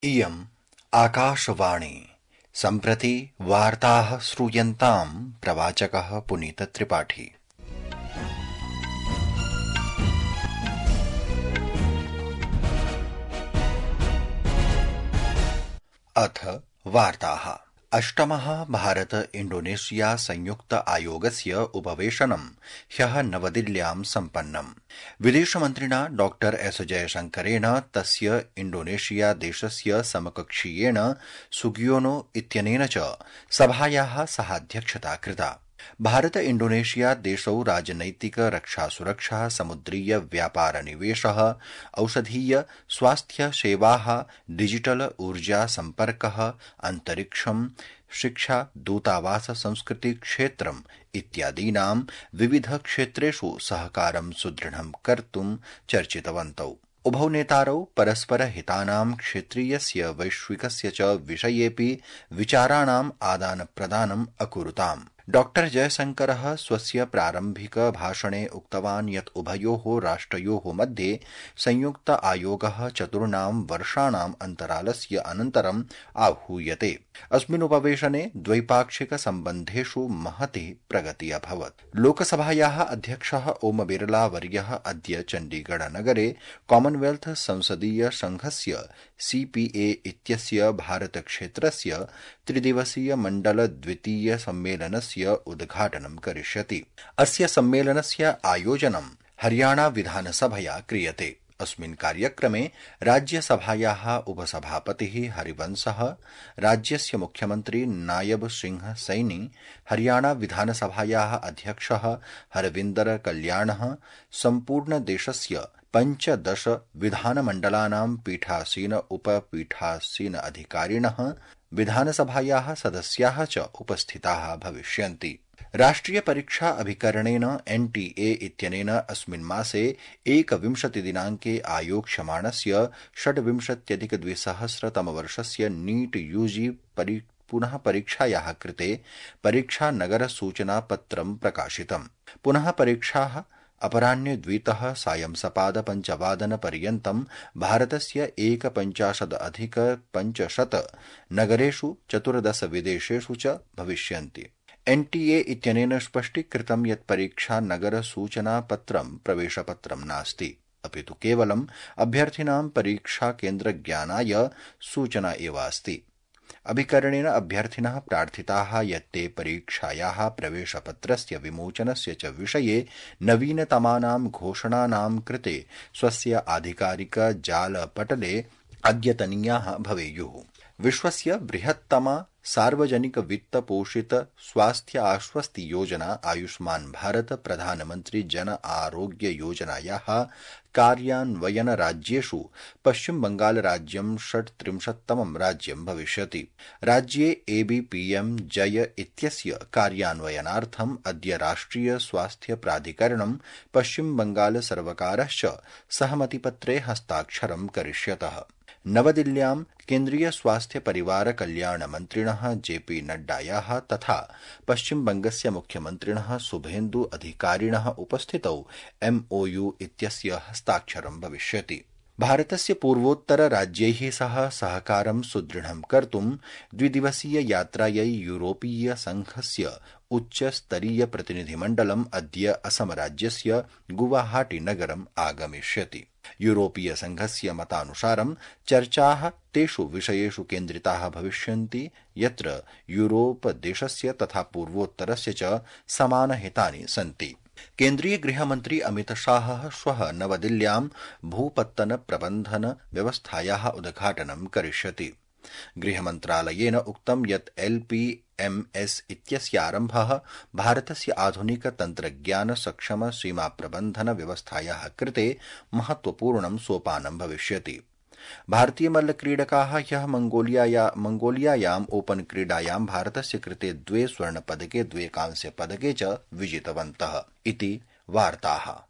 इयम् आकाशवाणी सम्प्रति वार्ताः श्रूयन्ताम् प्रवाचकः पुनीतत्रिपाठी। अथ वार्ताः। अष्टमः भारत इंडोनेशिया संयुक्त आयोगस्य उपवेशनं ह्यः नवदिल्ल्यां सम्पन्नम्। विदेशमन्त्रिणा डॉ एस जयशंकरेण तस्य इंडोनेशिया देशस्य समकक्षीयेण सुगियोनो इत्यनेन च सभायाः सहाध्यक्षता कृता। भारत इंडोनेशिया देशौ राजनैतिक रक्षा सुरक्षा समुद्रीय व्यापार निवेशः औषधीय स्वास्थ्य सेवाः डिजिटल ऊर्जा सम्पर्कः अन्तरिक्षं शिक्षा दूतावास संस्कृति क्षेत्रम् इत्यादीनां विविध क्षेत्रेषु सहकारं सुदृढं कर्तुं चर्चितवन्तौ। उभौ नेतारौ परस्पर हितानां क्षेत्रीयस्य वैश्विकस्य च विषयेऽपि विचाराणाम् आदान प्रदानम् अकुरुताम्। डॉ जयशंकरः स्वस्य प्रारम्भिक भाषणे उक्तवान् यत् उभयोः राष्ट्रयोः मध्ये संयुक्त आयोगः 4 वर्षाणाम् अन्तरालस्य अनन्तरम् आहूयते। अस्मिन् उपवेशने द्वैपाक्षिक सम्बन्धेषु महती प्रगतिः अभवत्। लोकसभायाः अध्यक्षः ओम बिरला वर्यः अद्य चण्डीगढ़ नगरे कॉमनवेल्थ संसदीय संघस्य सीपीए इत्यस्य भारत क्षेत्रस्य त्रिदिवसीय मण्डल द्वितीय सम्मेलनस्य उद्घाटनं करिष्यति। अस्य सम्मेलनस्य आयोजनं हरियाणा विधानसभया क्रियते। अस्मिन् कार्यक्रमे राज्यसभायाः उपसभापतिः हरिवंशः, राज्यस्य मुख्यमन्त्री नायब सिंह सैनी, हरियाणा विधानसभायाः अध्यक्षः हरविन्दर कल्याणः, सम्पूर्ण देशस्य 15 विधानमण्डलानां पीठासीन उपपीठासीन अधिकारिणः, विधानसभायाः सदस्याः च उपस्थिताः भविष्यन्ति। राष्ट्रिय परीक्षा अभिकरणेन एनटीए इत्यनेन अस्मिन् मासे 21 दिनाङ्के आयोक्ष्यमाणस्य 26,200 नीट यूजी पुनः परीक्षायाः कृते परीक्षा नगर सूचना पत्रं प्रकाशितम्। पुनः परीक्षाः अपराह्ने 2:00 सायं सपाद 5:00 पर्यन्तं भारतस्य 51,500 नगरेषु 14 विदेशेषु च भविष्यन्ति। एनटीए इत्यनेन स्पष्टीकृतं यत् परीक्षा नगर सूचना पत्रं प्रवेशपत्रं नास्ति, अपितु केवलम् अभ्यर्थिनां परीक्षा केन्द्र ज्ञानाय सूचना एव अस्ति। अभिकरणेन अभ्यर्थिनः प्रार्थिताः यत् ते परीक्षायाः प्रवेशपत्रस्य विमोचनस्य च विषये नवीनतमानां घोषणानां कृते स्वस्य आधिकारिक जालपटले अद्यतनीयाः भवेयुः। विश्वस्य बृहत्तमा सार्वजनिक वित्त पोषित स्वास्थ्य आश्वस्ति योजना आयुष्मान भारत प्रधानमंत्री जन आरोग्य योजनायाः कार्यान्वयन राज्येषु पश्चिम बंगाल राज्यं 36तमं राज्यं भविष्यति। राज्ये एबीपीएम जय इत्यस्य कार्यान्वयनार्थम् अद्य राष्ट्रिय स्वास्थ्य प्राधिकरणं पश्चिम बंगाल सर्वकारश्च सहमतिपत्रे हस्ताक्षरं करिष्यतः। नवदिल्ल्यां केन्द्रीय स्वास्थ्य परिवार कल्याण मन्त्रिणः जेपी नड्डायाः तथा पश्चिम बंगस्य मुख्यमन्त्रिणः शुभेन्दु अधिकारिणः उपस्थितौ एमओयू इत्यस्य हस्ताक्षरं भविष्यति। भारतस्य पूर्वोत्तर राज्यैः सह सहकारं सुदृढं कर्तुं द्विदिवसीय यात्रायै यूरोपीय संघस्य उच्चस्तरीय प्रतिनिधिमण्डलम् अद्य असम राज्यस्य गुवाहाटी नगरम् आगमिष्यति। यूरोपीय संघस्य मतानुसारं चर्चाः तेषु विषयेषु केन्द्रिताः भविष्यन्ति यत्र यूरोप देशस्य तथा पूर्वोत्तरस्य च समानहितानि सन्ति। केन्द्रीय गृहमन्त्री अमित शाहः श्वः नवदिल्ल्यां भूपत्तन प्रबन्धन व्यवस्थायाः उद्घाटनं करिष्यति। गृहमन्त्रालयेन उक्तं यत् एलपीएमएस इत्यस्य आरम्भः भारतस्य आधुनिक तन्त्रज्ञान सक्षम सीमा प्रबन्धन व्यवस्थायाः कृते महत्वपूर्णं सोपानं भविष्यति। भारतीय मल्लक्रीडकाः ह्यः मंगोलियायाम् ओपन क्रीडायां भारतस्य कृते 2 स्वर्णपदके 2 कांस्यपदके च विजितवन्तः। इति वार्ताः।